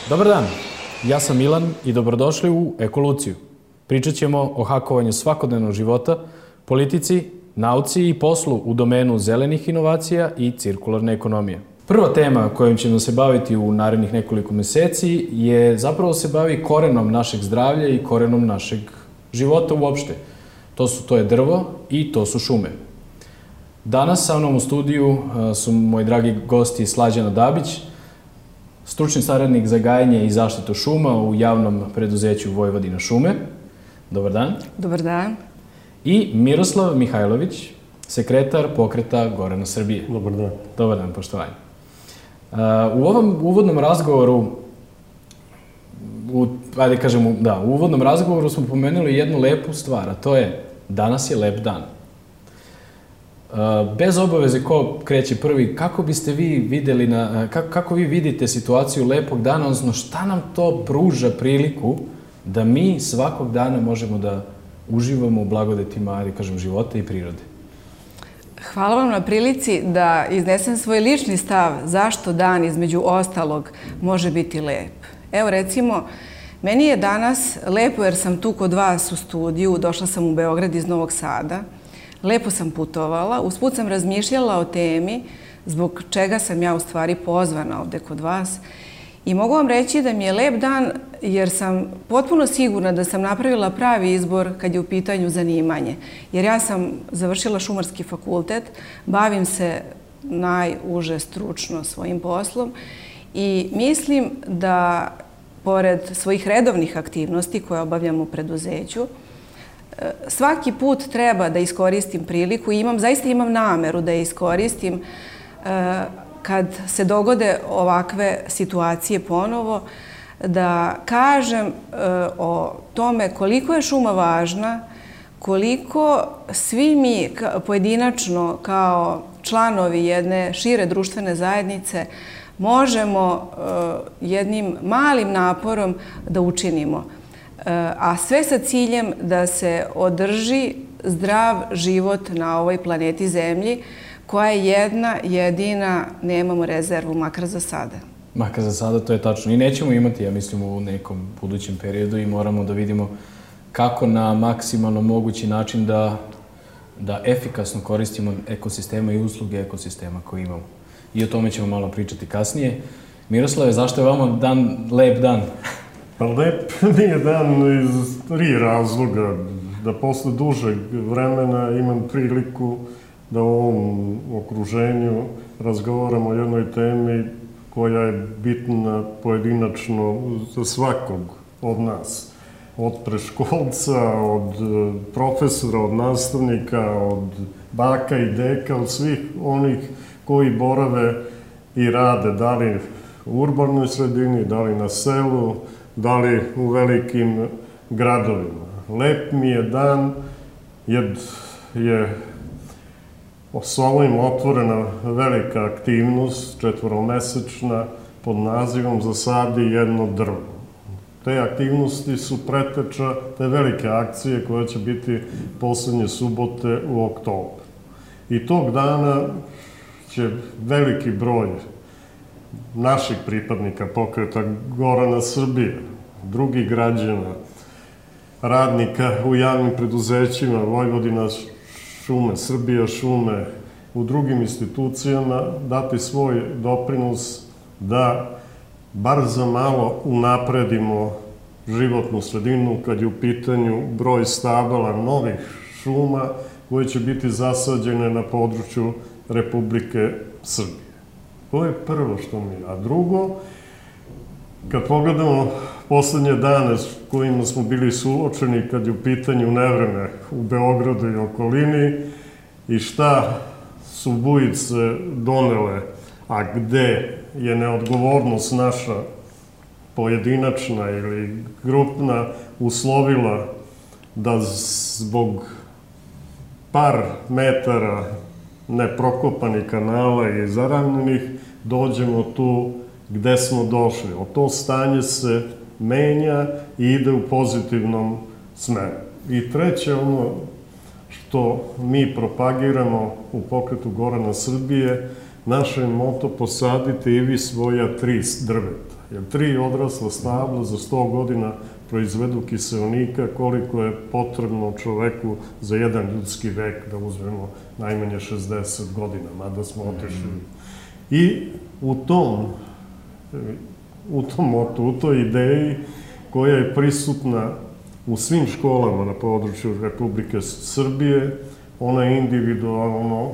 Dobar dan, ja sam Milan i dobrodošli u Ekoluciju. Pričat ćemo o hakovanju svakodnevnog života, politici, nauci i poslu u domenu zelenih inovacija i cirkularne ekonomije. Prva tema kojom ćemo se baviti u narednih nekoliko meseci je zapravo se bavi korenom našeg zdravlja i korenom našeg života uopšte. To je drvo i to su šume. Danas sa mnom u studiju su moji dragi gosti Slađana Dabić, stručni saradnik za gajenje i zaštitu šuma u javnom preduzeću Vojvodina šume. Dobar dan. Dobar dan. I Miroslav Mihajlović, sekretar Pokreta Gorana Srbije. Dobar dan. Dobar dan, poštovanje. U ovom uvodnom razgovoru, u uvodnom razgovoru smo pomenuli jednu lepu stvar, a to je danas je lep dan. Bez obaveze ko kreće prvi, kako biste vi videli, kako vi vidite situaciju lepog dana, odnosno šta nam to pruža priliku da mi svakog dana možemo da uživamo u blagodetima, života i prirode? Hvala vam na prilici da iznesem svoj lični stav zašto dan između ostalog može biti lep. Evo recimo, meni je danas lepo jer sam tu kod vas u studiju, došla sam u Beograd iz Novog Sada, lepo sam putovala, usput sam razmišljala o temi zbog čega sam ja u stvari pozvana ovde kod vas i mogu vam reći da mi je lep dan jer sam potpuno sigurna da sam napravila pravi izbor kad je u pitanju zanimanje. Jer ja sam završila Šumarski fakultet, bavim se najuže stručno svojim poslom i mislim da pored svojih redovnih aktivnosti koje obavljam u preduzeću, svaki put treba da iskoristim priliku i zaista imam nameru da je iskoristim kad se dogode ovakve situacije ponovo, da kažem o tome koliko je šuma važna, koliko svi mi pojedinačno kao članovi jedne šire društvene zajednice možemo jednim malim naporom da učinimo. A sve sa ciljem da se održi zdrav život na ovoj planeti Zemlji, koja je jedna, jedina, nemamo rezervu, makar za sada. Makar za sada, to je tačno. I nećemo imati, ja mislim, u nekom budućem periodu i moramo da vidimo kako na maksimalno mogući način da efikasno koristimo ekosistema i usluge ekosistema koje imamo. I o tome ćemo malo pričati kasnije. Miroslave, zašto je vama lep dan? Pa lep mi je dan iz 3 razloga. Da posle dužeg vremena imam priliku da u ovom okruženju razgovaramo o jednoj temi koja je bitna pojedinačno za svakog od nas. Od preškolca, od profesora, od nastavnika, od baka i deka, od svih onih koji borave i rade, da li u urbanoj sredini, da li na selu, da li u velikim gradovima. Lep mi je dan jer je s ovim otvorena velika aktivnost, 4-mesečna, pod nazivom Zasadi jedno drvo. Te aktivnosti su preteča te velike akcije koja će biti poslednje subote u oktobru. I tog dana će veliki broj naših pripadnika Pokreta Gorana Srbije, drugih građana, radnika u javnim preduzećima, Vojvodina šume, Srbija šume, u drugim institucijama dati svoj doprinos da bar za malo unapredimo životnu sredinu kad je u pitanju broj stabala novih šuma koje će biti zasađene na području Republike Srbije. To je prvo što mi je. A drugo, kad pogledamo poslednje dane s kojima smo bili suočeni kad je u pitanju nevreme u Beogradu i okolini i šta su bujice donele, a gde je neodgovornost naša pojedinačna ili grupna uslovila da zbog par metara neprokopanih kanala i zaravnjenih dođemo tu gde smo došli. To stanje se menja i ide u pozitivnom smeru. I treće, ono što mi propagiramo u Pokretu Gorana Srbije, naše moto posadite i vi svoja 3 drveta. Jer 3 odrasla stabla za 100 godina proizvedu kiseonika koliko je potrebno čoveku za jedan ljudski vek, da uzmemo najmanje 60 godina, mada smo otišli. I u toj ideji koja je prisutna u svim školama na području Republike Srbije, ona je individualno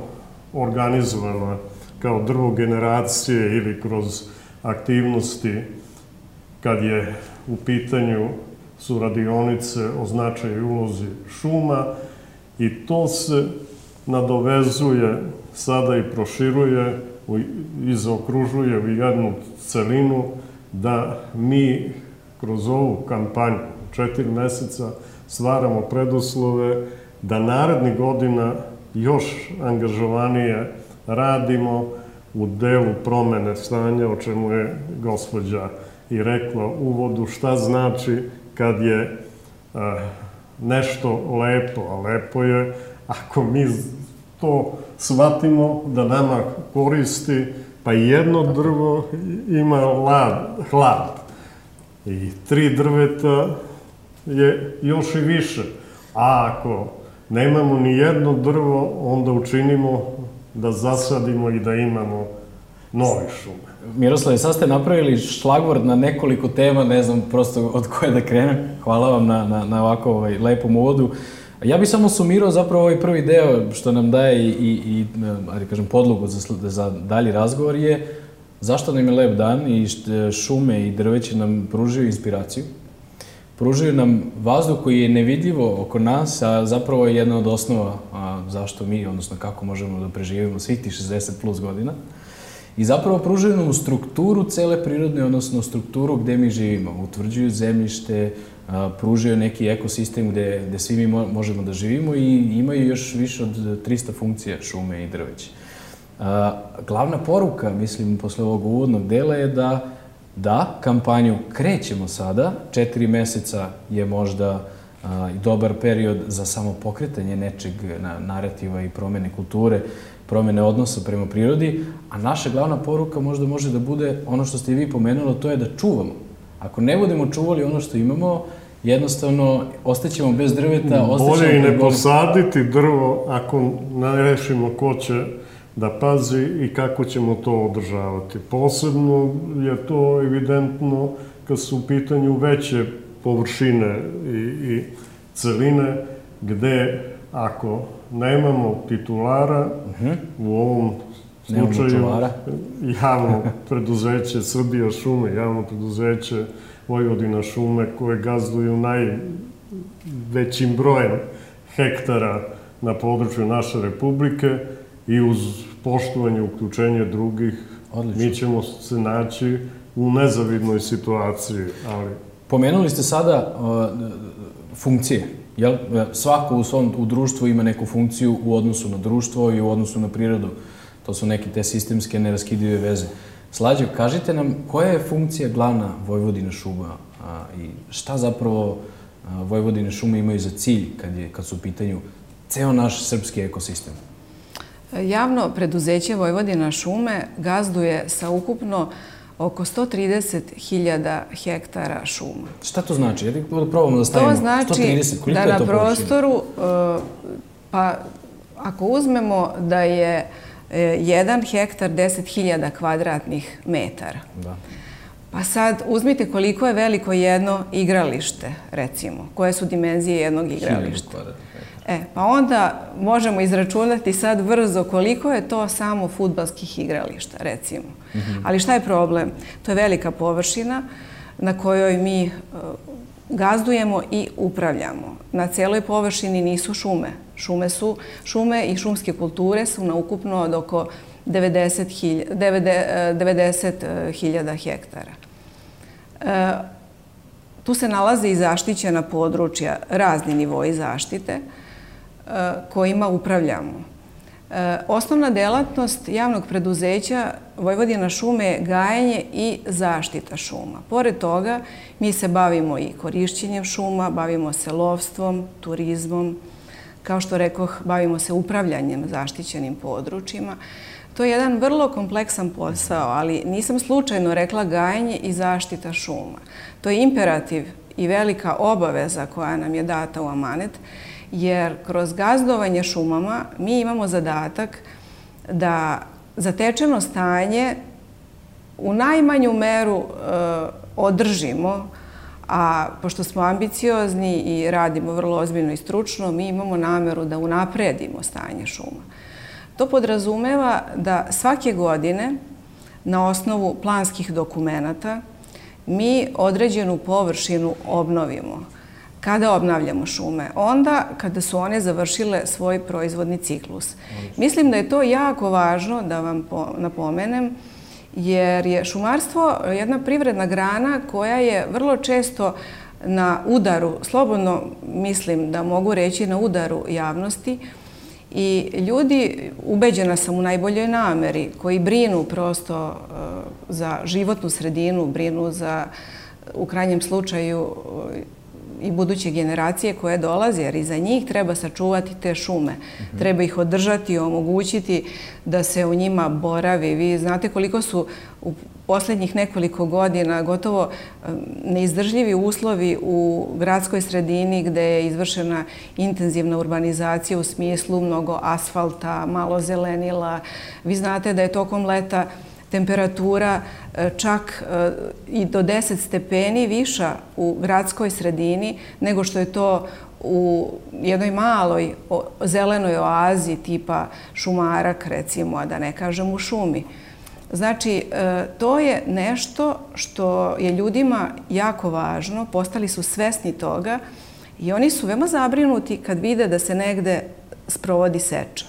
organizovana kao drvo generacije ili kroz aktivnosti kad je u pitanju su radionice o značaju i ulozi šuma i to se nadovezuje sada i proširuje i zaokružuje u jednu celinu da mi kroz ovu kampanju 4 meseca stvaramo preduslove da narednih godina još angažovanije radimo u delu promene stanja, o čemu je gospođa i rekla u uvodu, šta znači kad je nešto lepo, a lepo je ako mi to shvatimo da nama koristi, pa i jedno drvo ima hlad i 3 drveta je još i više. A ako nemamo ni jedno drvo, onda učinimo da zasadimo i da imamo nove šume. Miroslave, sad ste napravili šlagvord na nekoliko tema, ne znam prosto od koje da krenem. Hvala vam na ovako lepom uvodu. Ja bih samo sumirao zapravo ovaj prvi deo što nam daje i podlogu za dalji razgovor je zašto nam je lep dan i šume i drveće nam pružaju inspiraciju. Pružaju nam vazduh koji je nevidljivo oko nas, a zapravo je jedna od osnova zašto mi, odnosno kako možemo da preživimo svih tih 60 plus godina. I zapravo pružaju nam strukturu cele prirodne, odnosno strukturu gde mi živimo. Utvrđuju zemljište, pružaju neki ekosistem gde svi mi možemo da živimo i imaju još više od 300 funkcija šume i drveće. Glavna poruka, mislim, posle ovog uvodnog dela je da kampanju krećemo sada. 4 meseca je možda i dobar period za samo pokretanje nečeg narativa i promene kulture, promene odnosa prema prirodi, a naša glavna poruka možda može da bude ono što ste i vi pomenuli, to je da čuvamo. Ako ne budemo čuvali ono što imamo, jednostavno ostaćemo bez drveta, bolje i ne posaditi drvo ako ne rešimo ko će da pazi i kako ćemo to održavati. Posebno je to evidentno kad su u pitanju veće površine i celine, gde ako nemamo titulara, u ovom slučaju javno preduzeće Srbija šume, javno preduzeće Vojvodina šume, koje gazduju najvećim brojem hektara na području naše republike i uz poštovanje i uključenje drugih, mi ćemo se naći u nezavidnoj situaciji. Pomenuli ste sada funkcije. Svako u svom društvu ima neku funkciju u odnosu na društvo i u odnosu na prirodu. To su neke te sistemske neraskidive veze. Slađe, kažite nam koja je funkcija glavna Vojvodina šuma i šta zapravo Vojvodine šume imaju za cilj kad su u pitanju ceo naš srpski ekosistem? Javno preduzeće Vojvodina šume gazduje sa ukupno oko 130.000 hektara šuma. Šta to znači? Ja probamo da stavimo 130. To znači da na prostoru, pa ako uzmemo da je 1 hektar 10.000 kvadratnih metara. Pa sad uzmite koliko je veliko jedno igralište, recimo. Koje su dimenzije jednog igrališta. Pa onda možemo izračunati sad brzo koliko je to samo fudbalskih igrališta, recimo. Ali šta je problem? To je velika površina na kojoj mi gazdujemo i upravljamo. Na celoj površini nisu šume. Šume i šumske kulture su na ukupno od oko 90.000 hektara. Tu se nalaze i zaštićena područja, razni nivoi zaštite kojima upravljamo. Osnovna delatnost javnog preduzeća Vojvodina šume je gajenje i zaštita šuma. Pored toga, mi se bavimo i korišćenjem šuma, bavimo se lovstvom, turizmom, Kao što rekoh, bavimo se upravljanjem zaštićenim područjima. To je jedan vrlo kompleksan posao, ali nisam slučajno rekla gajanje i zaštita šuma. To je imperativ i velika obaveza koja nam je data u amanet, jer kroz gazdovanje šumama mi imamo zadatak da zatečeno stanje u najmanju meru održimo, a pošto smo ambiciozni i radimo vrlo ozbiljno i stručno, mi imamo nameru da unapredimo stanje šuma. To podrazumeva da svake godine na osnovu planskih dokumenata mi određenu površinu obnovimo. Kada obnavljamo šume? Onda kada su one završile svoj proizvodni ciklus. Mislim da je to jako važno da vam napomenem, jer je šumarstvo jedna privredna grana koja je vrlo često na udaru, slobodno mislim da mogu reći na udaru javnosti, i ljudi, ubeđena sam u najboljoj nameri, koji brinu prosto za životnu sredinu, brinu za, u krajnjem slučaju, i buduće generacije koje dolaze, jer i za njih treba sačuvati te šume. Treba ih održati, omogućiti da se u njima boravi. Vi znate koliko su u posljednjih nekoliko godina gotovo neizdržljivi uslovi u gradskoj sredini gde je izvršena intenzivna urbanizacija u smislu mnogo asfalta, malo zelenila. Vi znate da je tokom leta temperatura čak i do 10 stepeni viša u gradskoj sredini nego što je to u jednoj maloj zelenoj oazi tipa Šumarak, recimo, a da ne kažem u šumi. Znači, to je nešto što je ljudima jako važno, postali su svesni toga i oni su veoma zabrinuti kad vide da se negde sprovodi seča.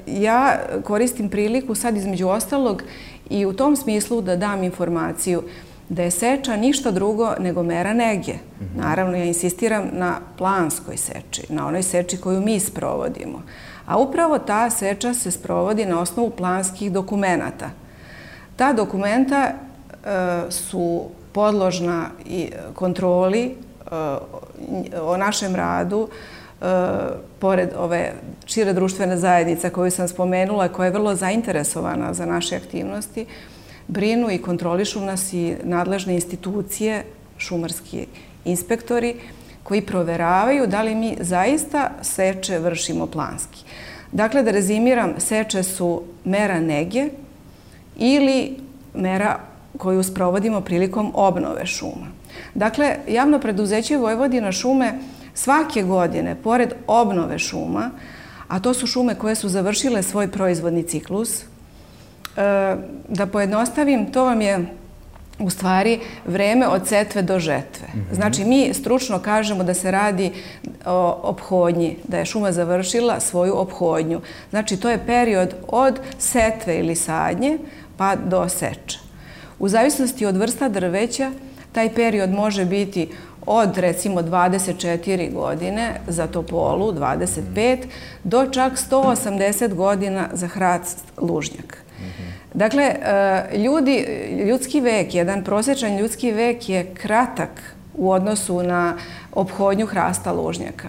Ja koristim priliku sad između ostalog i u tom smislu da dam informaciju da je seča ništa drugo nego mera nege. Naravno, ja insistiram na planskoj seči, na onoj seči koju mi sprovodimo. A upravo ta seča se sprovodi na osnovu planskih dokumenata. Ta dokumenta su podložna i kontroli o našem radu, pored ove šire društvene zajednice koju sam spomenula, koja je vrlo zainteresovana za naše aktivnosti, brinu i kontrolišu nas i nadležne institucije, šumarski inspektori, koji proveravaju da li mi zaista seče vršimo planski. Dakle, da rezimiram, seče su mera nege ili mera koju sprovodimo prilikom obnove šuma. Dakle, javno preduzeće Vojvodina šume svake godine, pored obnove šuma, a to su šume koje su završile svoj proizvodni ciklus, da pojednostavim, to vam je u stvari vreme od setve do žetve. Znači, mi stručno kažemo da se radi o ophodnji, da je šuma završila svoju ophodnju. Znači, to je period od setve ili sadnje pa do seče. U zavisnosti od vrsta drveća, taj period može biti od recimo 24 godine za topolu, 25, do čak 180 godina za hrast lužnjak. Dakle, ljudski vek, jedan prosječan ljudski vek je kratak u odnosu na ophodnju hrasta lužnjaka.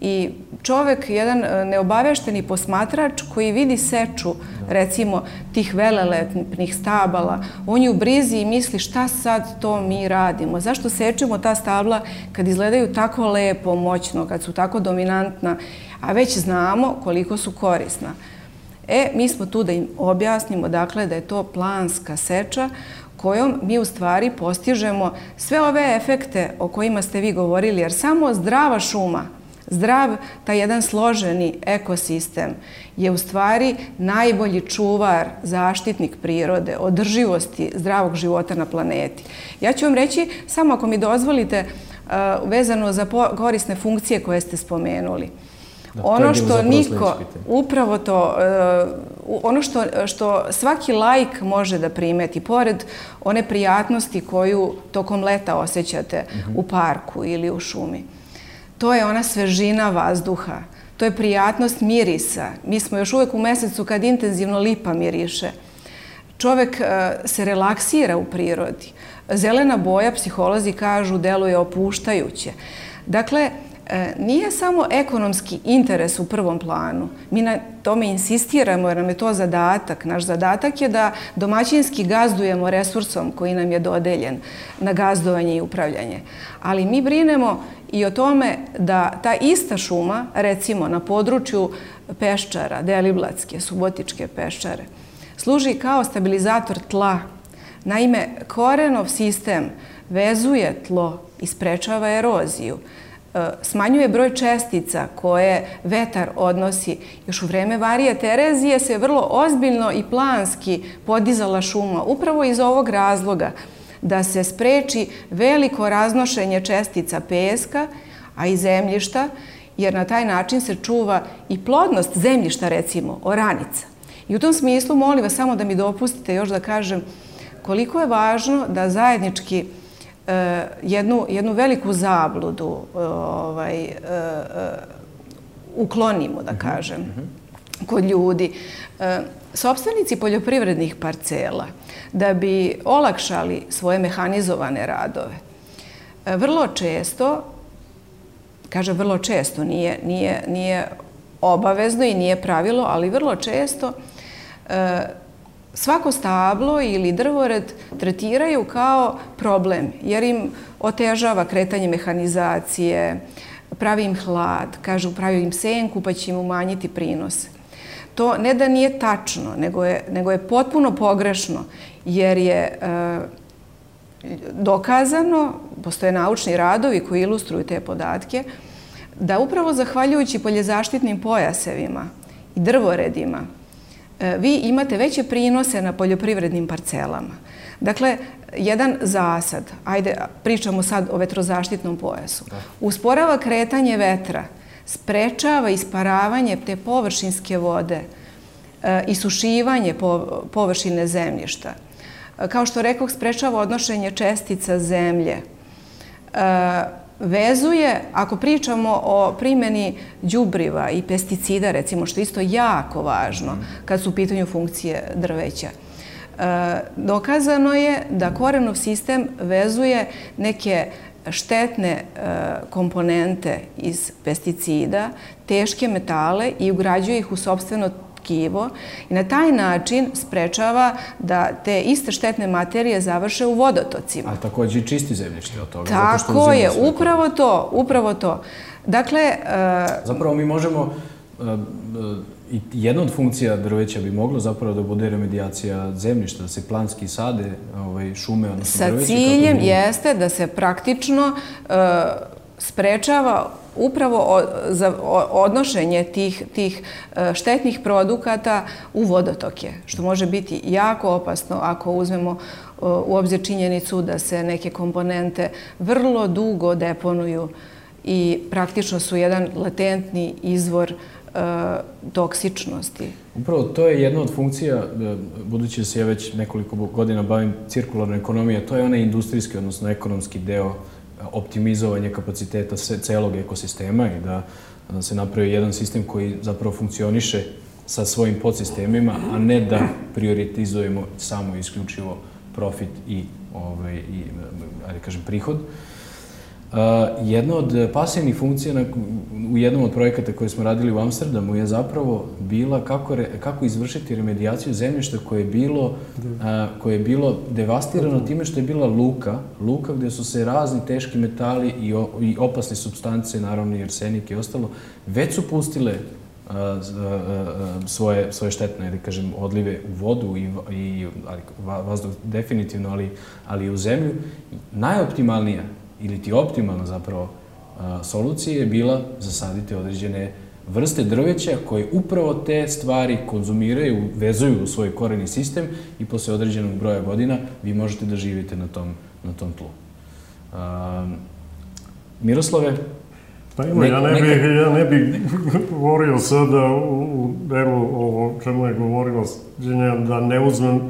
I čovek, jedan neobavešteni posmatrač koji vidi seču, recimo, tih velelepnih stabala, on je u brizi i misli šta sad to mi radimo, zašto sečemo ta stabla kad izgledaju tako lepo, moćno, kad su tako dominantna, a već znamo koliko su korisna. Mi smo tu da im objasnimo, dakle, da je to planska seča kojom mi u stvari postižemo sve ove efekte o kojima ste vi govorili, jer samo zdrava šuma, zdrav, taj jedan složeni ekosistem je u stvari najbolji čuvar, zaštitnik prirode, održivosti zdravog života na planeti. Ja ću vam reći, samo ako mi dozvolite, vezano za korisne funkcije koje ste spomenuli. Ono što niko, upravo to, ono što svaki laik može da primeti, pored one prijatnosti koju tokom leta osjećate u parku ili u šumi, to je ona svežina vazduha, to je prijatnost mirisa. Mi smo još uvek u mesecu kad intenzivno lipa miriše. Čovek se relaksira u prirodi. Zelena boja, psiholozi kažu, deluje opuštajuće. Dakle, nije samo ekonomski interes u prvom planu. Mi na tome insistiramo jer nam je to zadatak. Naš zadatak je da domaćinski gazdujemo resursom koji nam je dodeljen na gazdovanje i upravljanje. Ali mi brinemo i o tome da ta ista šuma, recimo na području Peščara, Deliblatske, Subotičke Peščare, služi kao stabilizator tla. Naime, korenov sistem vezuje tlo i sprečava eroziju. Smanjuje broj čestica koje vetar odnosi. Još u vreme Marije Terezije se vrlo ozbiljno i planski podizala šuma. Upravo iz ovog razloga da se spreči veliko raznošenje čestica peska, a i zemljišta, jer na taj način se čuva i plodnost zemljišta, recimo, oranica. I u tom smislu, molim vas samo da mi dopustite još da kažem koliko je važno da zajednički jednu veliku zabludu uklonimo, da kažem, kod ljudi. Sopstvenici poljoprivrednih parcela, da bi olakšali svoje mehanizovane radove, vrlo često, kažem vrlo često, nije obavezno i nije pravilo, ali vrlo često svako stablo ili drvored tretiraju kao problem, jer im otežava kretanje mehanizacije, pravi im hlad, kažu pravi im senku pa će im umanjiti prinose. To ne da nije tačno, nego je potpuno pogrešno, jer je dokazano, postoje naučni radovi koji ilustruju te podatke, da upravo zahvaljujući poljezaštitnim pojasevima i drvoredima, vi imate veće prinose na poljoprivrednim parcelama. Dakle, jedan zasad, ajde, pričamo sad o vetrozaštitnom pojasu, usporava kretanje vetra, sprečava isparavanje te površinske vode, isušivanje površine zemljišta. Kao što rekoh, sprečava odnošenje čestica zemlje. Vezuje, ako pričamo o primjeni đubriva i pesticida, recimo, što je isto jako važno kad su u pitanju funkcije drveća, dokazano je da korenov sistem vezuje neke štetne komponente iz pesticida, teške metale i ugrađuje ih u sopstveno tkivo i na taj način sprečava da te iste štetne materije završe u vodotocima. A također i čisti zemljište od toga. Tako je, upravo to. Dakle... Zapravo mi možemo, i jedna od funkcija drveća bi moglo zapravo da bude remedijacija zemljišta, da se planski sade šume, odnosno drveće. Sa ciljem jeste da se praktično sprečava upravo za odnošenje tih štetnih produkata u vodotoke, što može biti jako opasno ako uzmemo u obzir činjenicu da se neke komponente vrlo dugo deponuju i praktično su jedan latentni izvor toksičnosti. Upravo to je jedna od funkcija, budući da se ja već nekoliko godina bavim cirkularnom ekonomijom, to je onaj industrijski, odnosno ekonomski deo optimizovanje kapaciteta celog ekosistema i da se napravi jedan sistem koji zapravo funkcioniše sa svojim podsistemima, a ne da prioritizujemo samo isključivo profit i prihod. Jedna od pasivnih funkcija u jednom od projekata koje smo radili u Amsterdamu je zapravo bila kako izvršiti remedijaciju zemljišta koje je bilo devastirano time što je bila luka gdje su se razni teški metali i opasne supstance, naravno i arsenik i ostalo, već su pustile svoje štetne, da kažem, odlive u vodu i vazduh definitivno, ali i u zemlju. Najoptimalnija ili ti optimalna zapravo solucija je bila zasaditi određene vrste drveća koje upravo te stvari konzumiraju, vezuju u svoj koreni sistem i posle određenog broja godina vi možete da živite na tom tlu. Miroslave? Pa ima, ja ne bih govorio sada u delu o čemu je govorila da ne uzmem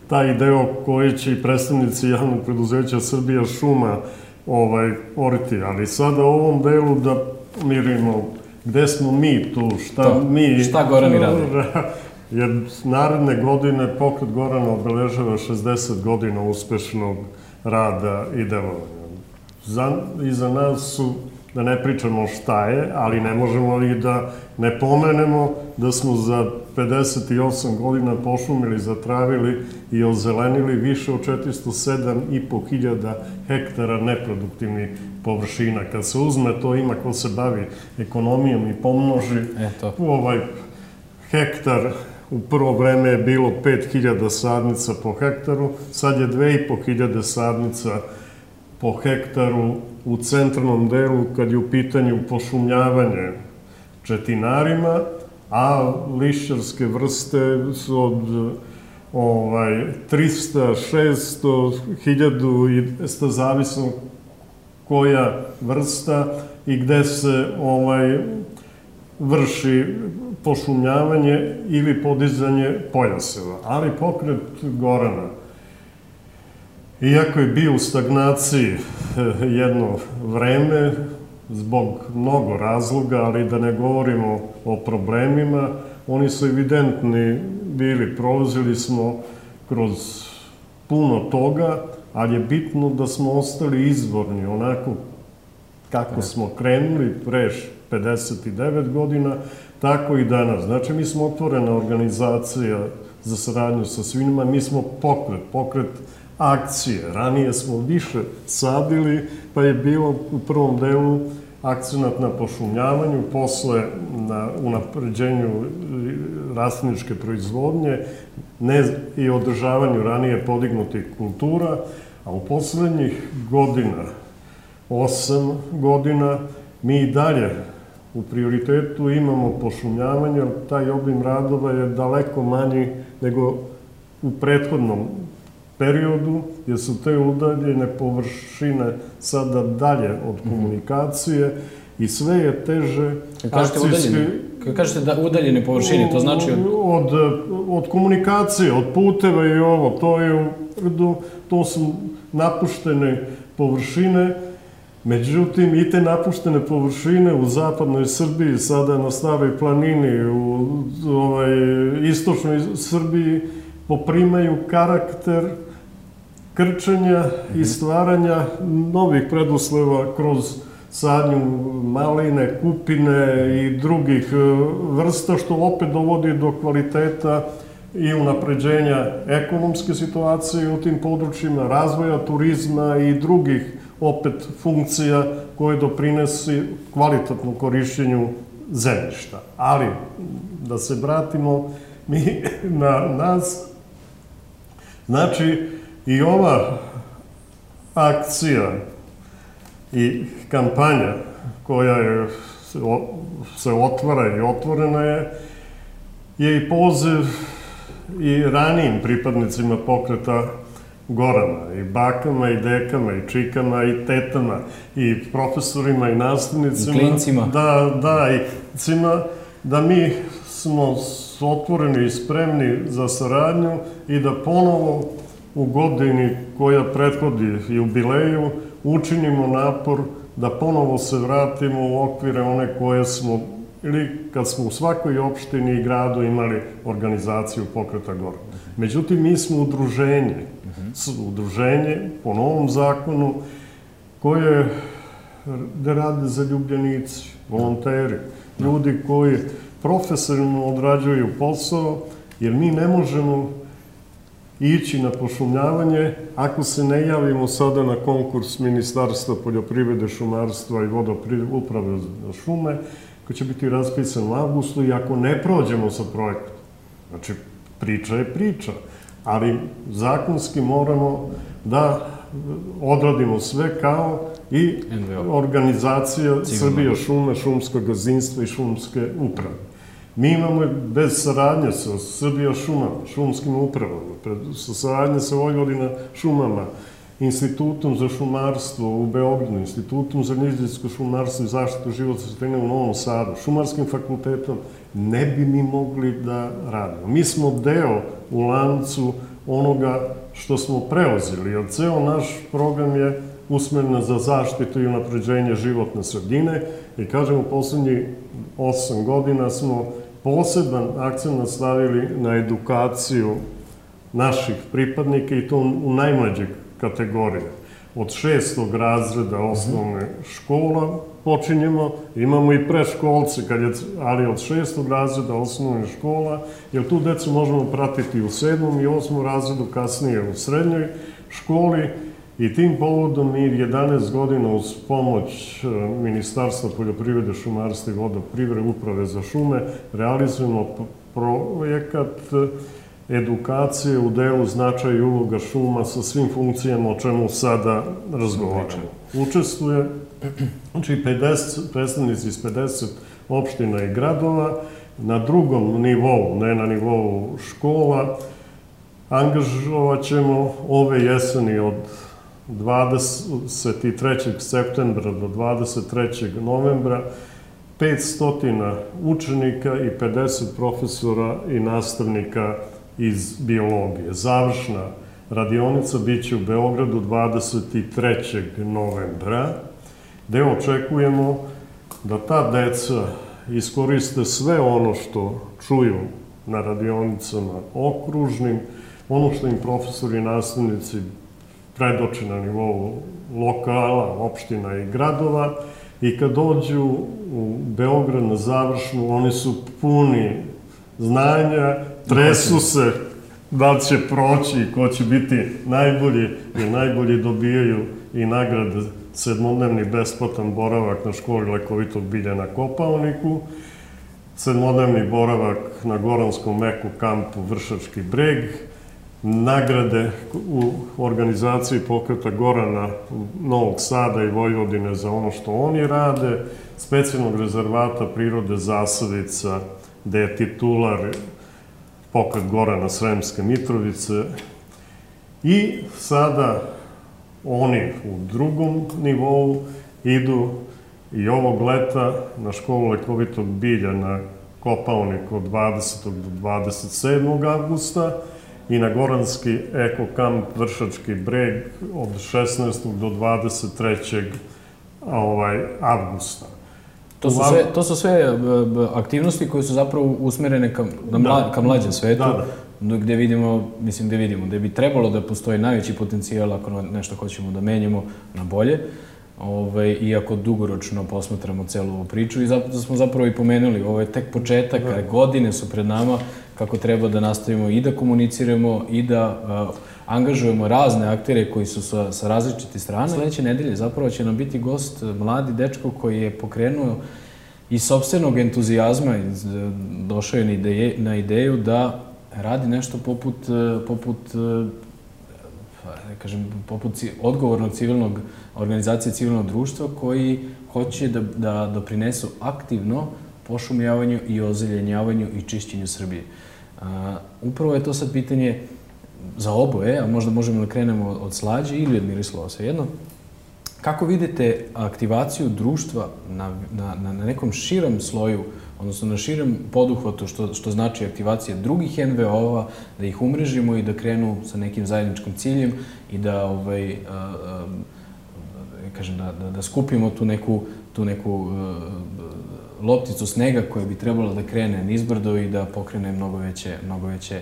taj deo koji će i predstavnici javnog preduzeća Srbija šuma oriti, ali sada u ovom delu da mirimo gde smo mi tu, šta Goran i radi. Jer naredne godine pokret Gorana obeležava 60 godina uspešnog rada i delovanja. Iza nas su da ne pričamo šta je, ali ne možemo i da ne pomenemo da smo za 58 godina pošumili, zatravili i ozelenili više od 407.500 hektara neproduktivnih površina. Kad se uzme, to ima ko se bavi ekonomijom i pomnoži, hektar u prvo vreme je bilo 5.000 sadnica po hektaru, sad je 2.500 sadnica po hektaru u centralnom delu kad je u pitanju pošumljavanje četinarima, a lišćarske vrste su od 300, 600, 1000 i zavisno koja vrsta i gde se vrši pošumljavanje ili podizanje pojaseva. Ali pokret Gorana, iako je bio u stagnaciji jedno vreme, zbog mnogo razloga, ali da ne govorimo o problemima, oni su evidentni bili. Prolazili smo kroz puno toga, ali je bitno da smo ostali izvorni, onako kako smo krenuli pre 59 godina, tako i danas. Znači, mi smo otvorena organizacija za saradnju sa svima, mi smo pokret akcije. Ranije smo više sadili, pa je bilo u prvom delu akcenat na pošumljavanju, posle na unapređenju rastliničke proizvodnje i održavanju ranije podignutih kultura, a u poslednjih godina, 8 godina, mi i dalje u prioritetu imamo pošumljavanje, ali taj obim radova je daleko manji nego u prethodnom periodu, jer su te udaljene površine sada dalje od komunikacije i sve je teže akcijski... Kad kažete da udaljene površine, to znači... Od komunikacije, od puteva i ovo, to su napuštene površine. Međutim, i te napuštene površine u zapadnoj Srbiji, sada na Staroj planini, u istočnoj Srbiji, poprimaju karakter krčenja i stvaranja novih preduslova kroz sadnju maline, kupine i drugih vrsta, što opet dovodi do kvaliteta i unapređenja ekonomske situacije u tim područjima, razvoja turizma i drugih opet funkcija koje doprinesi kvalitetnom korišćenju zemljišta. Ali, da se vratimo mi na nas, znači i ova akcija i kampanja koja se otvara i otvorena je i poziv i ranijim pripadnicima pokreta Gorana, i bakama, i dekama, i čikama, i tetama, i profesorima, i nastavnicima. I klincima. Da, da mi smo otvoreni i spremni za saradnju i da ponovo u godini koja prethodi jubileju učinimo napor da ponovo se vratimo u okvire one koje smo, ili kad smo u svakoj opštini i gradu imali organizaciju pokreta Gorana. Međutim, mi smo udruženje po novom zakonu koje rade zaljubljenici, volonteri, ljudi koji profesionalno odrađuju posao, jer mi ne možemo ići na pošumljavanje ako se ne javimo sada na konkurs Ministarstva poljoprivrede, šumarstva i uprave za šume, koji će biti raspisan u avgustu, i ako ne prođemo sa projektom. Znači, priča je priča, ali zakonski moramo da odradimo sve kao i organizacija Srbija šume, šumskog gazdinstva i šumske uprave. Mi imamo bez saradnje sa Srbija šumama, šumskim upravama, sa saradnje sa Vojvodina šumama, Institutom za šumarstvo u Beogradu, Institutom za nizinsko šumarstvo i zaštitu životne sredine u Novom Sadu, Šumarskim fakultetom, ne bi mi mogli da radimo. Mi smo deo u lancu onoga što smo preuzeli, jer ceo naš program je usmeren za zaštitu i unapređenje životne sredine i, kažem, u poslednjih 8 godina smo poseban akcent stavili na edukaciju naših pripadnika, i to u najmlađih kategorija. od 6. razreda osnovne škola počinjemo. Imamo i preškolce, ali od 6. razreda osnovne škola, jer tu decu možemo pratiti u 7. i 8. razredu, kasnije u srednjoj školi. I tim povodom mi 11 godina uz pomoć Ministarstva poljoprivrede, šumarstva i vodoprivrede, Uprave za šume, realizujemo projekat edukacije u delu značaja i uloga šuma sa svim funkcijama o čemu sada razgovaramo. Učestvuje predstavnici iz 50 opština i gradova. Na drugom nivou, ne na nivou škola, angažovat ćemo ove jeseni od 23. septembra do 23. novembra 500 učenika i 50 profesora i nastavnika iz biologije. Završna radionica biće u Beogradu 23. novembra, gde očekujemo da ta deca iskoriste sve ono što čuju na radionicama okružnim, ono što im profesori i nastavnici predoče na nivou lokala, opština i gradova, i kad dođu u Beograd na završnu, oni su puni znanja, tresu se da li će proći i ko će biti najbolji, jer najbolji dobijaju i nagrade 7-dnevni besplatan boravak na školi lekovitog bilja na Kopaoniku, 7-dnevni boravak na Goranskom eko kampu Vršački breg, nagrade u organizaciji pokreta Gorana Novog Sada i Vojvodine za ono što oni rade, specijalnog rezervata prirode Zasavica, gde je titular pokret Gorana Sremske Mitrovice. I sada oni u drugom nivou idu i ovog leta na školu lekovitog bilja na Kopaoniku od 20. do 27. avgusta i na Goranski eko-kamp Vršački breg od 16. do 23. avgusta. To su sve aktivnosti koje su zapravo usmerene ka mlađem svetu, gde vidimo, gde bi trebalo da postoji najveći potencijal ako nešto hoćemo da menjamo na bolje, iako dugoročno posmatramo celu ovu priču, i zato smo zapravo i pomenuli, ovo je tek početak, godine su pred nama, kako treba da nastavimo i da komuniciramo i da angažujemo razne aktere koji su sa različitih strana. Sledeće nedelje zapravo će nam biti gost mladi dečko koji je pokrenuo iz sopstvenog entuzijazma, došao je na ideju da radi nešto poput odgovornog organizacije civilnog društva koji hoće da doprinesu aktivno pošumljavanju i ozelenjavanju i čišćenju Srbije. Upravo je to sad pitanje za oboje, a možda možemo da krenemo od Slađe ili od Miroslava, svejedno. Kako vidite aktivaciju društva na nekom širem sloju, odnosno na širem poduhvatu, što znači aktivacija drugih NVO-ova, da ih umrežimo i da krenu sa nekim zajedničkim ciljem i da skupimo tu neku lopticu snega koja bi trebala da krene nizbrdo i da pokrene mnogo veće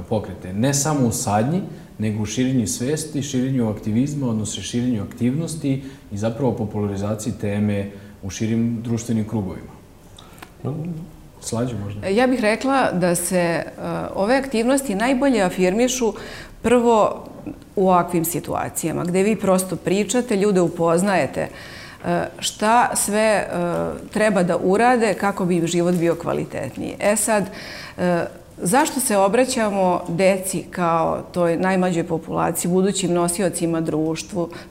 pokrete. Ne samo u sadnji, nego u širenju svesti, širenju aktivizma, odnosno širenju aktivnosti i zapravo popularizaciji teme u širim društvenim krugovima. Slađe možda? Ja bih rekla da se ove aktivnosti najbolje afirmišu prvo u ovakvim situacijama, gde vi prosto pričate, ljude upoznajete šta sve treba da urade kako bi im život bio kvalitetniji. Sad, zašto se obraćamo deci kao toj najmlađoj populaciji, budućim nosiocima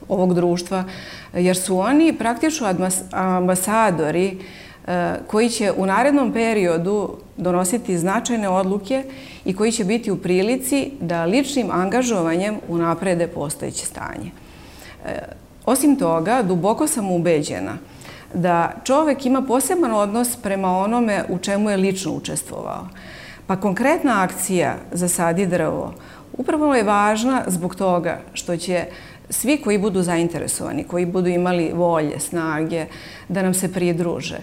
ovog društva, jer su oni praktično ambasadori koji će u narednom periodu donositi značajne odluke i koji će biti u prilici da ličnim angažovanjem unaprede postojeće stanje. Osim toga, duboko sam ubeđena da čovek ima poseban odnos prema onome u čemu je lično učestvovao. Pa konkretna akcija Zasadi drvo upravo je važna zbog toga što će svi koji budu zainteresovani, koji budu imali volje, snage da nam se pridruže,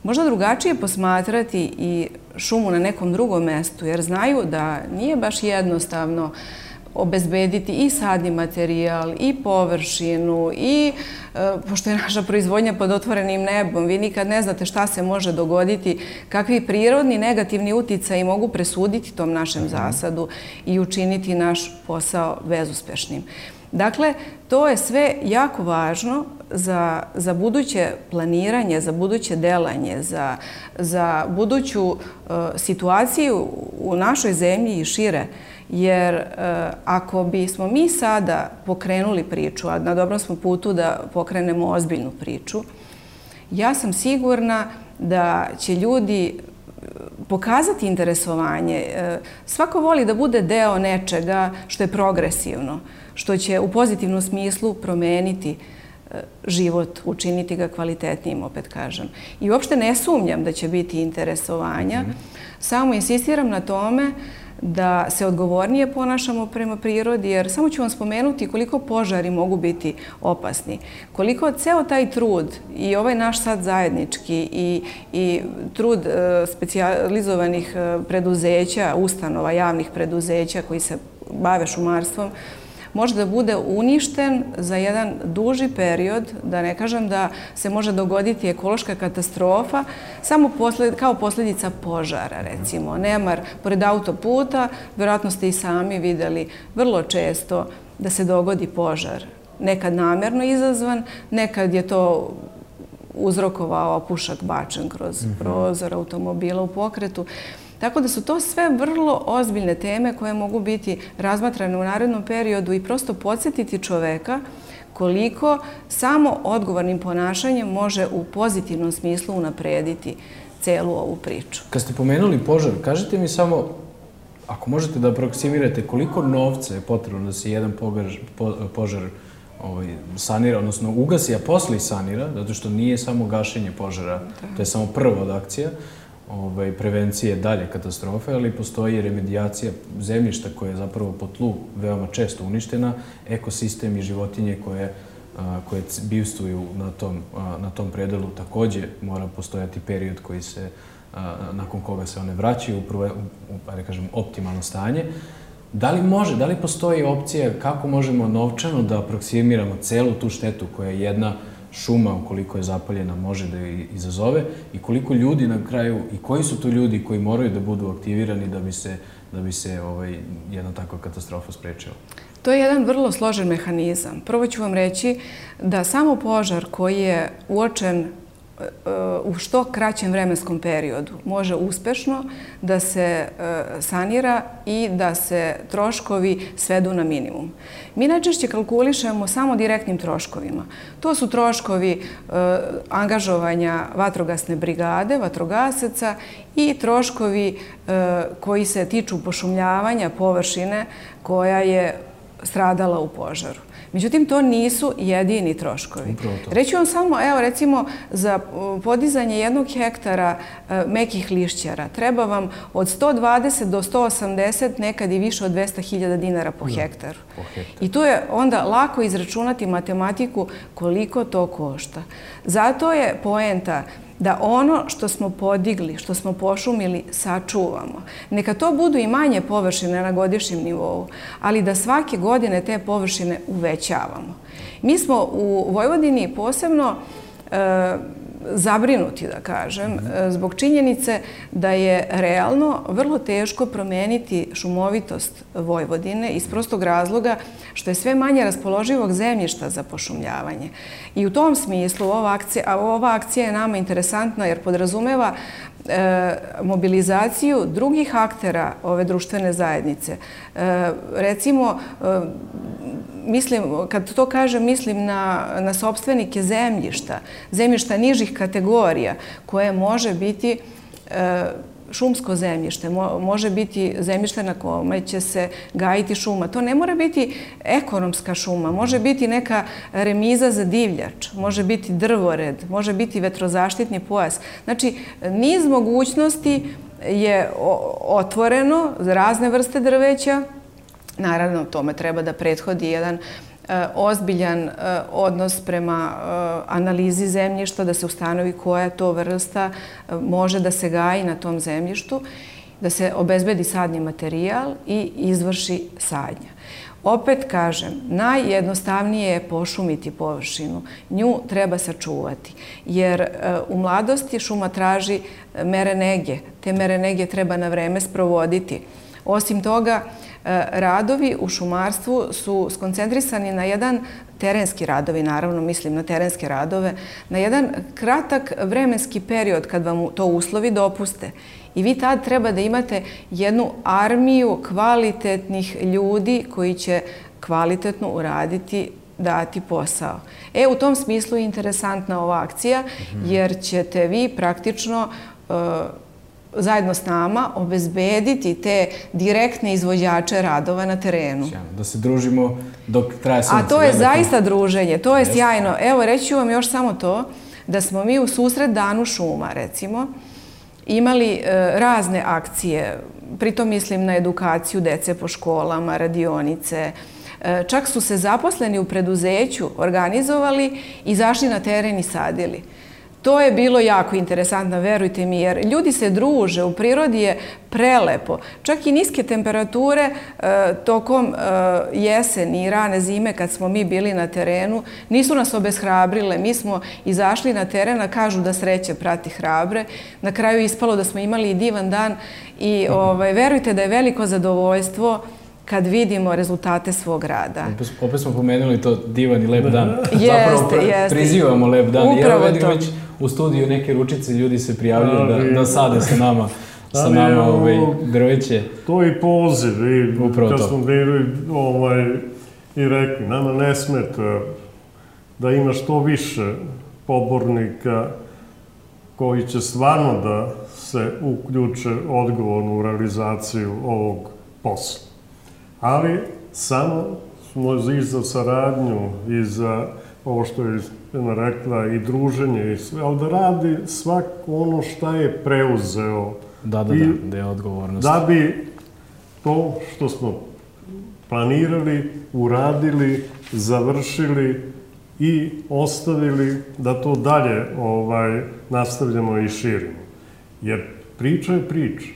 možda drugačije posmatrati i šumu na nekom drugom mestu, jer znaju da nije baš jednostavno obezbediti i sadni materijal, i površinu, i pošto je naša proizvodnja pod otvorenim nebom, vi nikad ne znate šta se može dogoditi, kakvi prirodni negativni uticaji mogu presuditi tom našem zasadu i učiniti naš posao bezuspešnim. Dakle, to je sve jako važno za buduće planiranje, za buduće delanje, za buduću situaciju u našoj zemlji i šire. Jer ako bismo mi sada pokrenuli priču, a na dobrom smo putu da pokrenemo ozbiljnu priču, ja sam sigurna da će ljudi pokazati interesovanje. Svako voli da bude deo nečega što je progresivno, što će u pozitivnom smislu promeniti život, učiniti ga kvalitetnijim, opet kažem. I uopšte ne sumnjam da će biti interesovanja, samo insistiram na tome da se odgovornije ponašamo prema prirodi, jer samo ću vam spomenuti koliko požari mogu biti opasni. Koliko ceo taj trud i ovaj naš sad zajednički i trud specijalizovanih preduzeća, ustanova, javnih preduzeća koji se bave šumarstvom, može da bude uništen za jedan duži period, da ne kažem da se može dogoditi ekološka katastrofa, samo kao posljedica požara, recimo. Nemar pored autoputa, vjerojatno ste i sami vidjeli vrlo često da se dogodi požar. Nekad namjerno izazvan, nekad je to uzrokovao pušak bačen kroz prozor automobila u pokretu. Tako da su to sve vrlo ozbiljne teme koje mogu biti razmatrane u narednom periodu i prosto podsjetiti čoveka koliko samo odgovornim ponašanjem može u pozitivnom smislu unaprediti celu ovu priču. Kad ste pomenuli požar, kažete mi samo, ako možete da aproksimirate koliko novca je potrebno da se jedan požar sanira, odnosno ugasi, a posle i sanira, zato što nije samo gašenje požara, to je samo prva od akcija, prevencije dalje katastrofe, ali postoji remedijacija zemljišta koja je zapravo po tlu veoma često uništena, ekosistem i životinje koje bivstvuju na tom predelu takođe mora postojati period nakon koga se one vraćaju u optimalno stanje. Da li postoji opcija kako možemo novčano da aproksimiramo celu tu štetu koja je jedna šuma, ukoliko je zapaljena, može da je izazove i koliko ljudi na kraju i koji su to ljudi koji moraju da budu aktivirani da bi se jedna takva katastrofa sprečila? To je jedan vrlo složen mehanizam. Prvo ću vam reći da samo požar koji je uočen u što kraćem vremenskom periodu može uspešno da se sanira i da se troškovi svedu na minimum. Mi najčešće kalkulišemo samo direktnim troškovima. To su troškovi angažovanja vatrogasne brigade, vatrogasaca i troškovi koji se tiču pošumljavanja površine koja je stradala u požaru. Međutim, to nisu jedini troškovi. Reći vam samo, evo recimo, za podizanje 1 hektara mekih lišćara treba vam od 120 do 180, nekad i više od 200.000 dinara po hektaru. I tu je onda lako izračunati matematiku koliko to košta. Zato je poenta da ono što smo podigli, što smo pošumili, sačuvamo. Neka to budu i manje površine na godišnjem nivou, ali da svake godine te površine uvećavamo. Mi smo u Vojvodini posebno zabrinuti, da kažem, zbog činjenice da je realno vrlo teško promeniti šumovitost Vojvodine iz prostog razloga što je sve manje raspoloživog zemljišta za pošumljavanje. I u tom smislu ova akcija je nama interesantna jer podrazumeva mobilizaciju drugih aktera ove društvene zajednice. Recimo, kad to kažem, mislim na sopstvenike zemljišta nižih kategorija, koje može biti šumsko zemljište, može biti zemljište na kome će se gajiti šuma. To ne mora biti ekonomska šuma, može biti neka remiza za divljač, može biti drvored, može biti vetrozaštitni pojas. Znači, niz mogućnosti je otvoreno za razne vrste drveća. Naravno, tome treba da prethodi jedan ozbiljan odnos prema analizi zemljišta, da se ustanovi koja to vrsta može da se gaji na tom zemljištu. da se obezbedi sadni materijal i izvrši sadnja. Opet kažem, najjednostavnije je pošumiti površinu. Nju treba sačuvati, jer u mladosti šuma traži mere nege. Te mere nege treba na vreme sprovoditi. Osim toga, radovi u šumarstvu su skoncentrisani na jedan terenski radovi, naravno mislim na terenske radove, na jedan kratak vremenski period kad vam to uslovi dopuste. I vi tad treba da imate jednu armiju kvalitetnih ljudi koji će kvalitetno uraditi, dati posao. U tom smislu je interesantna ova akcija, jer ćete vi praktično zajedno s nama obezbediti te direktne izvođače radova na terenu. Da se družimo dok traje sunce. A to je zaista druženje, to je sjajno. Evo, reći ću vam još samo to, da smo mi u susret Danu šuma, recimo, imali razne akcije, pritom mislim na edukaciju dece po školama, radionice. Čak su se zaposleni u preduzeću organizovali i zašli na teren i sadili. To je bilo jako interesantno, verujte mi, jer ljudi se druže, u prirodi je prelepo. Čak i niske temperature tokom jeseni i rane zime kad smo mi bili na terenu nisu nas obeshrabrile. Mi smo izašli na teren, a kažu da sreća prati hrabre. Na kraju ispalo da smo imali i divan dan i verujte da je veliko zadovoljstvo kad vidimo rezultate svog rada. Opet smo pomenuli to divan i lep dan. Zapravo prizivamo lep dan. Upravo ja već u studiju neke ručice ljudi se prijavljaju da sade sa nama drveće. To je i poziv. Kad smo bili i rekli, nama ne smeta da ima što više pobornika koji će stvarno da se uključe odgovorno u realizaciju ovog posla. Ali samo smo i za saradnju i za ovo što je rekla i druženje i sve, ali da radi svako ono šta je preuzeo. Da je odgovornost. Da bi to što smo planirali, uradili, završili i ostavili da to dalje nastavljamo i širimo. Jer priča je priča.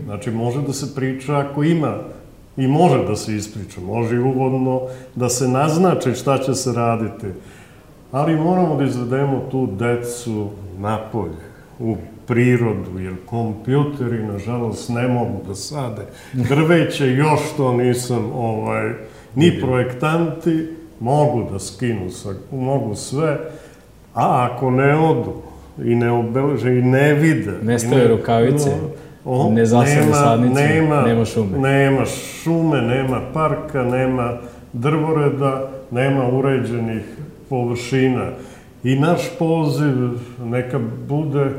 Znači, može da se priča ako ima i može da se ispriča, može i uvodno da se naznači šta će se raditi. Ali moramo da izvedemo tu decu napolje, u prirodu, jer kompjuteri, nažalost, ne mogu da sade drveće, još to nisam, ni projektanti mogu da skinu, mogu sve, a ako ne odu i ne obeleže i ne vide... Nestaju rukavice. Ne zasade sadnicu, nema šume. Nema šume, nema parka, nema drvoreda, nema uređenih površina. I naš poziv neka bude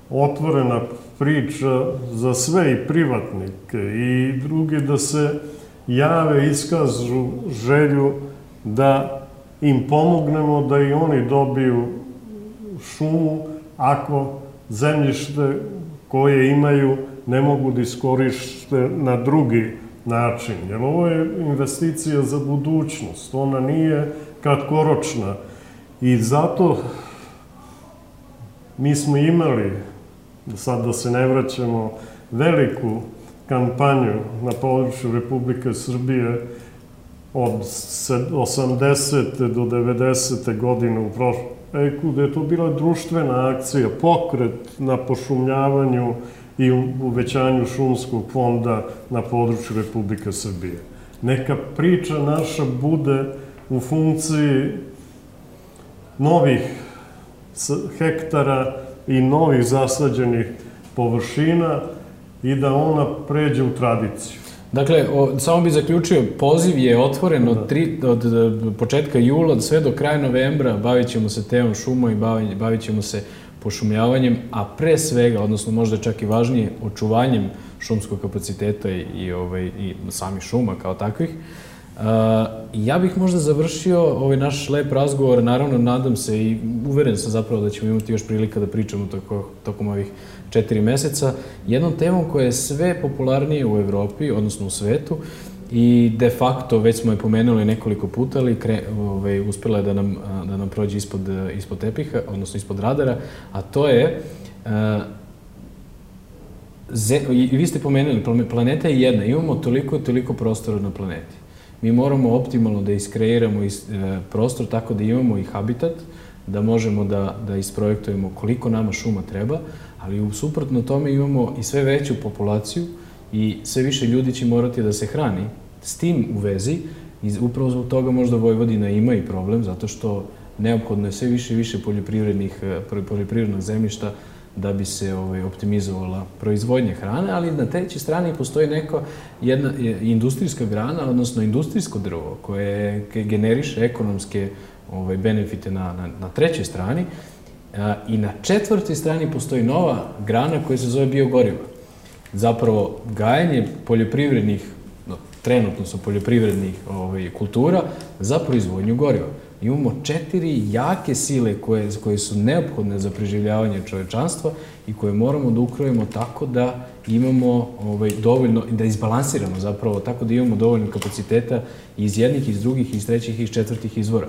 otvorena priča za sve i privatnike i drugi da se jave, iskažu želju da im pomognemo da i oni dobiju šumu ako zemljište koje imaju ne mogu da iskoriste na drugi način. Jer ovo je investicija za budućnost, ona nije kratkoročna. I zato mi smo imali, sad da se ne vraćamo, veliku kampanju na području Republike Srbije od 80. do 90. godine u prošlom veku, gde je to bila društvena akcija, pokret na pošumljavanju i uvećanju šumskog fonda na području Republike Srbije. Neka priča naša bude u funkciji novih hektara i novih zasađenih površina i da ona pređe u tradiciju. Dakle, samo bih zaključio, poziv je otvoren od početka jula sve do kraja novembra, bavit ćemo se temom šuma i bavit ćemo se pošumljavanjem, a pre svega, odnosno možda čak i važnije, očuvanjem šumskog kapaciteta i samih šuma kao takvih. Ja bih možda završio ovaj naš lep razgovor, naravno nadam se i uveren sam zapravo da ćemo imati još prilika da pričamo tokom ovih 4 meseca, jednom temom koja je sve popularnije u Evropi, odnosno u svetu, i de facto, već smo je pomenuli nekoliko puta, ali uspjela je da nam prođe ispod tepiha, odnosno ispod radara, a to je I vi ste pomenuli, planeta je jedna, imamo toliko prostora na planeti. Mi moramo optimalno da iskreiramo prostor tako da imamo i habitat, da možemo da isprojektujemo koliko nama šuma treba, ali suprotno tome imamo i sve veću populaciju i sve više ljudi će morati da se hrani. S tim u vezi, i upravo zbog toga možda Vojvodina ima i problem, zato što neophodno je sve više i više poljoprivrednog zemljišta da bi se optimizovala proizvodnja hrane, ali na trećoj strani postoji jedna industrijska grana, odnosno industrijsko drvo koje generiše ekonomske benefite na trećoj strani i na četvrtoj strani postoji nova grana koja se zove biogoriva. Zapravo, gajanje poljoprivrednih, trenutno su poljoprivrednih kultura za proizvodnju goriva. Imamo 4 jake sile koje su neophodne za preživljavanje čovečanstva i koje moramo da ukrojimo tako da imamo dovoljno, da izbalansiramo zapravo, tako da imamo dovoljno kapaciteta iz jednih, iz drugih, iz trećih i iz četvrtih izvora.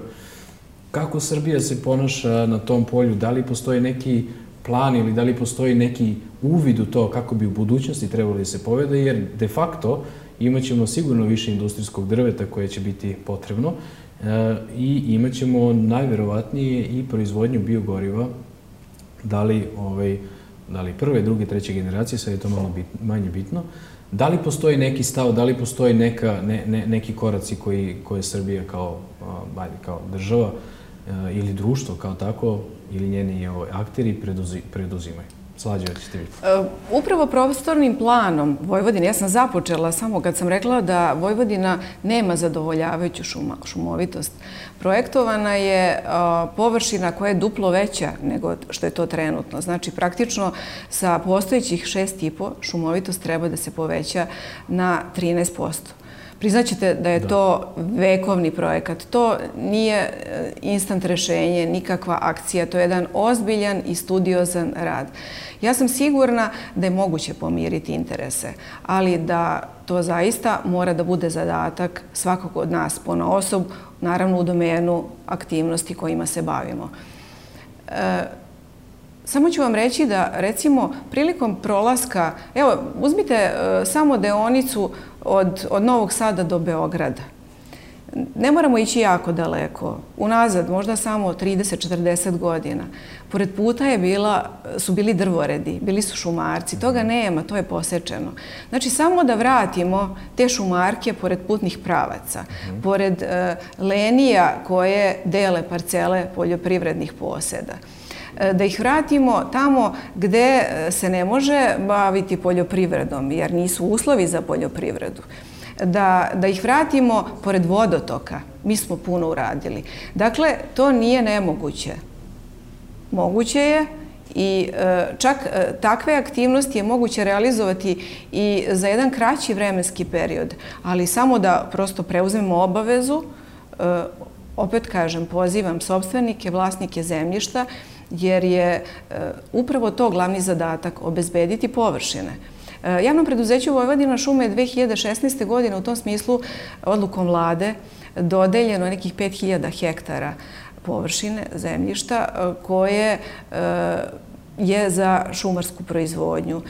Kako Srbija se ponaša na tom polju? Da li postoji neki plan ili da li postoji neki uvid u to kako bi u budućnosti trebalo da se povede, jer de facto imaćemo sigurno više industrijskog drveta koje će biti potrebno i imaćemo najverovatnije i proizvodnju biogoriva, da li prve, druge, treće generacije, sad je to malo manje bitno. Da li postoji neki stav, da li postoji neki koraci koje Srbija kao država ili društvo kao tako, ili njeni akteri preduzimaju? Slađe, ćete vidjeti. Upravo prostornim planom Vojvodine, ja sam započela samo kad sam rekla da Vojvodina nema zadovoljavajuću šumovitost. Projektovana je površina koja je duplo veća nego što je to trenutno. Znači, praktično sa postojećih 6,5 šumovitost treba da se poveća na 13%. Priznaćete da je to vekovni projekat. To nije instant rešenje, nikakva akcija. To je jedan ozbiljan i studiozan rad. Ja sam sigurna da je moguće pomiriti interese, ali da to zaista mora da bude zadatak svakog od nas ponaosob, naravno u domenu aktivnosti kojima se bavimo. Samo ću vam reći da, recimo, prilikom prolaska, evo, uzmite samo deonicu od Novog Sada do Beograda. Ne moramo ići jako daleko, unazad, možda samo 30-40 godina. Pored puta su bili drvoredi, bili su šumarci, toga nema, to je posečeno. Znači, samo da vratimo te šumarke pored putnih pravaca, pored lenija koje dele parcele poljoprivrednih poseda, da ih vratimo tamo gde se ne može baviti poljoprivredom, jer nisu uslovi za poljoprivredu. Da ih vratimo pored vodotoka. Mi smo puno uradili. Dakle, to nije nemoguće. Moguće je i čak takve aktivnosti je moguće realizovati i za jedan kraći vremenski period, ali samo da prosto preuzmemo obavezu, opet kažem, pozivam sopstvenike, vlasnike zemljišta, jer je upravo to glavni zadatak, obezbediti površine. Javnom preduzeću Vojvodina šume je 2016. godine u tom smislu odlukom vlade dodeljeno nekih 5000 hektara površine zemljišta koje je za šumarsku proizvodnju.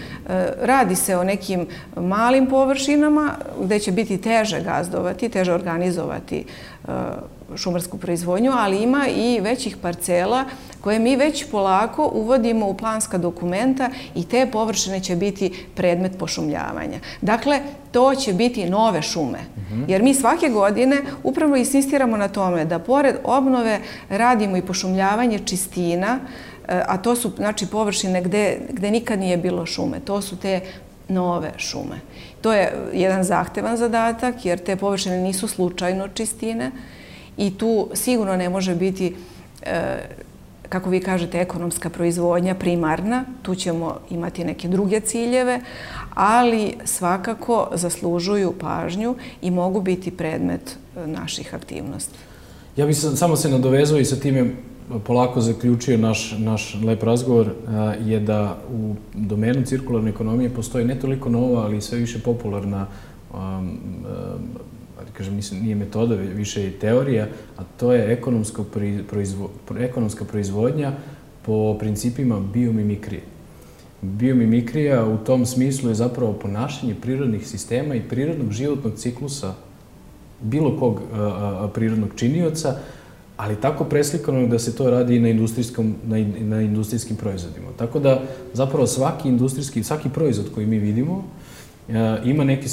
Radi se o nekim malim površinama gde će biti teže gazdovati, teže organizovati šumarsku proizvodnju, ali ima i većih parcela koje mi već polako uvodimo u planska dokumenta i te površine će biti predmet pošumljavanja. Dakle, to će biti nove šume. Jer mi svake godine upravo insistiramo na tome da pored obnove radimo i pošumljavanje čistina, a to su, znači, površine gde nikad nije bilo šume. To su te nove šume. To je jedan zahtevan zadatak, jer te površine nisu slučajno čistine i tu sigurno ne može biti, kako vi kažete, ekonomska proizvodnja primarna. Tu ćemo imati neke druge ciljeve, ali svakako zaslužuju pažnju i mogu biti predmet naših aktivnosti. Ja bih samo se nadovezao i sa time polako zaključio naš lep razgovor, je da u domenu cirkularne ekonomije postoji ne toliko nova, ali sve više popularna, kažem, nije metoda, više je teorija, a to je ekonomska proizvodnja po principima biomimikrije. Biomimikrija u tom smislu je zapravo ponašanje prirodnih sistema i prirodnog životnog ciklusa bilo kog prirodnog činioca, ali tako preslikano da se to radi i na industrijskim proizvodima. Tako da zapravo svaki proizvod koji mi vidimo ima neki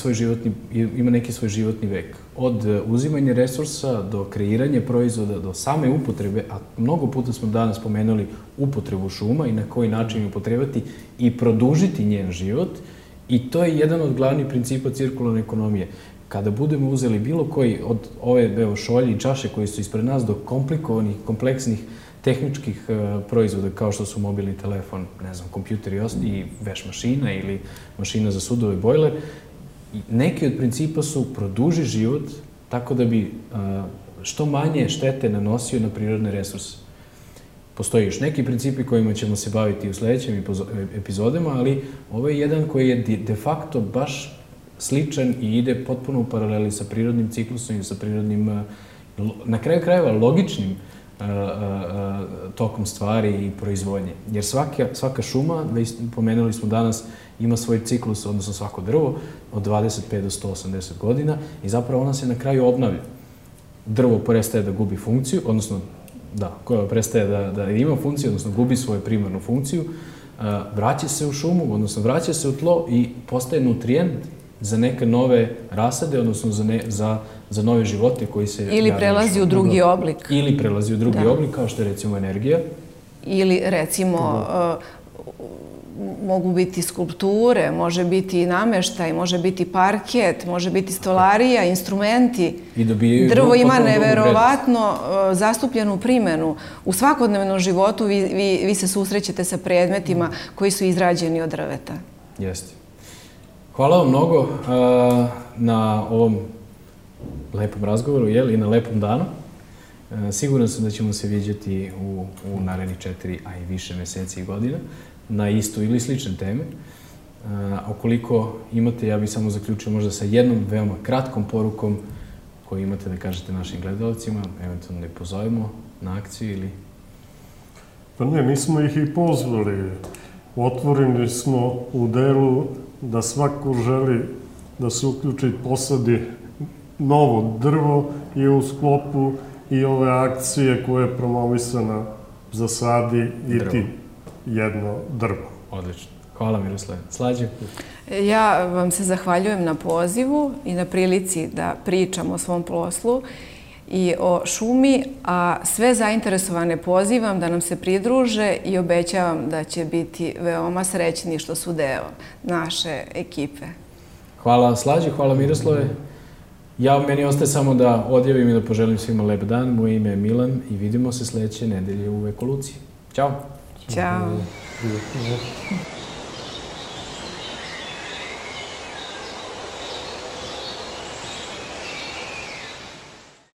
svoj životni vek. Od uzimanja resursa do kreiranja proizvoda, do same upotrebe, a mnogo puta smo danas spomenuli upotrebu šuma i na koji način upotrebati i produžiti njen život, i to je jedan od glavnih principa cirkularne ekonomije. Kada budemo uzeli bilo koji od ove šolje i čaše koji su ispred nas do komplikovanih, kompleksnih tehničkih proizvoda kao što su mobilni telefon, ne znam, kompjuter i veš mašina ili mašina za sudove, bojler, neki od principa su produži život tako da bi što manje štete nanosio na prirodne resurse. Postoji još neki principi kojima ćemo se baviti u sledećim epizodama, ali ovo je jedan koji je de facto baš sličan i ide potpuno u paraleli sa prirodnim ciklusom i sa prirodnim, na kraju krajeva, logičnim tokom stvari i proizvodnje. Jer svaka šuma, pomenuli smo danas, ima svoj ciklus, odnosno svako drvo, od 25 do 180 godina i zapravo ona se na kraju obnavlja. Drvo prestaje da gubi funkciju, odnosno koja prestaje da ima funkciju, odnosno gubi svoju primarnu funkciju, vraća se u šumu, odnosno vraća se u tlo i postaje nutrijent za neke nove rasade, odnosno za nove živote koji se... Ili prelazi u drugi oblik. Ili prelazi u drugi oblik, kao što je recimo energija. Ili recimo mogu biti skulpture, može biti nameštaj, može biti parket, može biti stolarija, instrumenti. Drvo ima neverovatno zastupljenu primenu. U svakodnevnom životu vi se susrećete sa predmetima koji su izrađeni od drveta. Jeste. Hvala vam mnogo na ovom lepom razgovoru i na lepom danu. Siguran sam da ćemo se viđati u narednih 4, a i više meseci i godina na istu ili slične teme. Ukoliko imate, ja bih samo zaključio možda sa jednom veoma kratkom porukom koju imate da kažete našim gledalcima, eventualno da ih pozovemo na akciju ili... Pa ne, mi smo ih i pozvali. Otvoreni smo u delu da svako želi da se uključi i posadi novo drvo i u sklopu i ove akcije koje je promovisana zasadi i ti jedno drvo. Odlično. Hvala Miroslave. Slađe? Ja vam se zahvaljujem na pozivu i na prilici da pričam o svom poslu i o šumi, a sve zainteresovane pozivam da nam se pridruže i obećavam da će biti veoma srećni što su deo naše ekipe. Hvala Slađe, hvala Miroslave. Meni ostaje samo da odjavim i da poželim svima lep dan. Moje ime je Milan i vidimo se sledeće nedelje u Ekoluciji. Ćao! Ćao!